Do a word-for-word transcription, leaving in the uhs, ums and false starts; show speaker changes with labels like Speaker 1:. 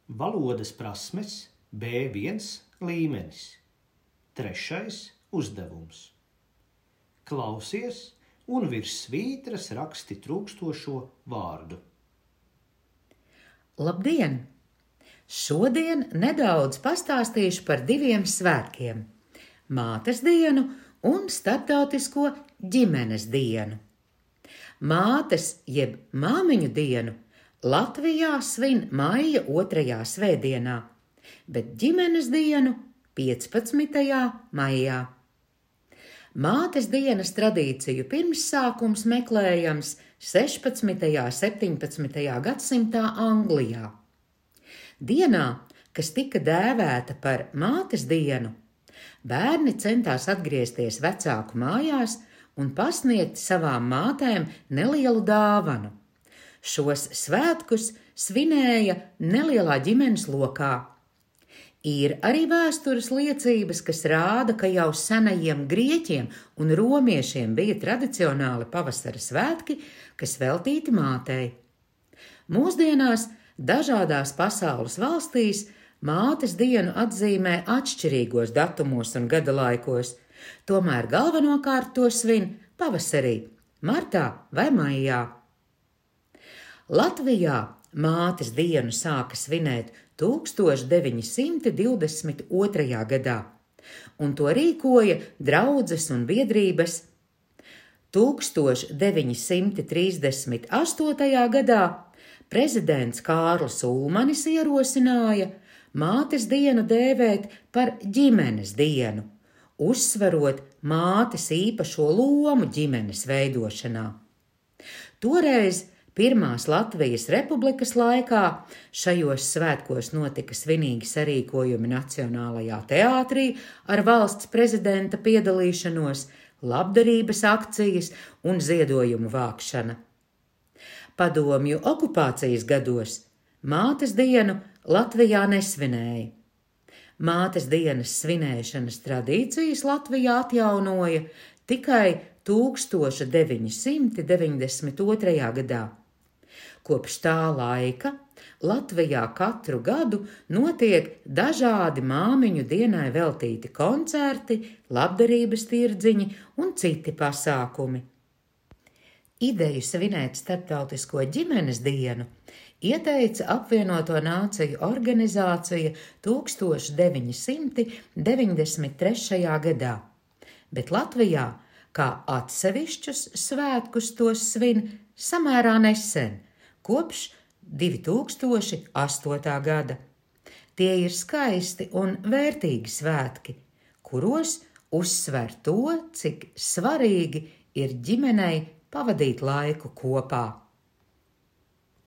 Speaker 1: Valodas prasmes B viens līmenis. Trešais uzdevums. Klausies un virs svītras raksti trūkstošo vārdu.
Speaker 2: Labdien! Šodien nedaudz pastāstīšu par diviem svētkiem – Mātes dienu un Starptautisko ģimenes dienu. Mātes jeb māmiņu dienu Latvijā svin maija otrajā svētdienā, bet ģimenes dienu piecpadsmitajā maijā. Mātes dienas tradīciju pirmssākums meklējams sešpadsmitajā un septiņpadsmitajā gadsimtā Anglijā. Dienā, kas tika dēvēta par Mātes dienu, bērni centās atgriezties vecāku mājās un pasniegt savām mātēm nelielu dāvanu. Šos svētkus svinēja nelielā ģimenes lokā. Ir arī vēstures liecības, kas rāda, ka jau senajiem grieķiem un romiešiem bija tradicionāli pavasara svētki, kas veltīti mātei. Mūsdienās dažādās pasaules valstīs Mātes dienu atzīmē atšķirīgos datumos un gada laikos, tomēr galvenokārt to svin pavasarī, martā vai maijā. Latvijā Mātes dienu sāka svinēt tūkstoš deviņi simti divdesmit otrajā gadā, un to rīkoja draudzes un biedrības. tūkstoš deviņi simti trīsdesmit astotajā gadā prezidents Kārlis Ulmanis ierosināja Mātes dienu dēvēt par ģimenes dienu, uzsverot mātes īpašo lomu ģimenes veidošanā. Toreiz Pirmās Latvijas Republikas laikā šajos svētkos notika svinīgi sarīkojumi Nacionālajā teātrī ar valsts prezidenta piedalīšanos, labdarības akcijas un ziedojumu vākšana. Padomju okupācijas gados Mātes dienu Latvijā nesvinēja. Mātes dienas svinēšanas tradīcijas Latvijā atjaunoja tikai tūkstoš deviņi simti deviņdesmit otrajā gadā. Kopš tā laika Latvijā katru gadu notiek dažādi māmiņu dienai veltīti koncerti, labdarības tirdziņi un citi pasākumi. Ideju svinēt Starptautisko ģimenes dienu ieteica Apvienoto Nāciju organizācija tūkstoš deviņi simti deviņdesmit trešajā gadā, bet Latvijā kā atsevišķus svētkus tos svin samērā nesen, kopš divi tūkstoši astotā gada. Tie ir skaisti un vērtīgi svētki, kuros uzsver to, cik svarīgi ir ģimenei pavadīt laiku kopā.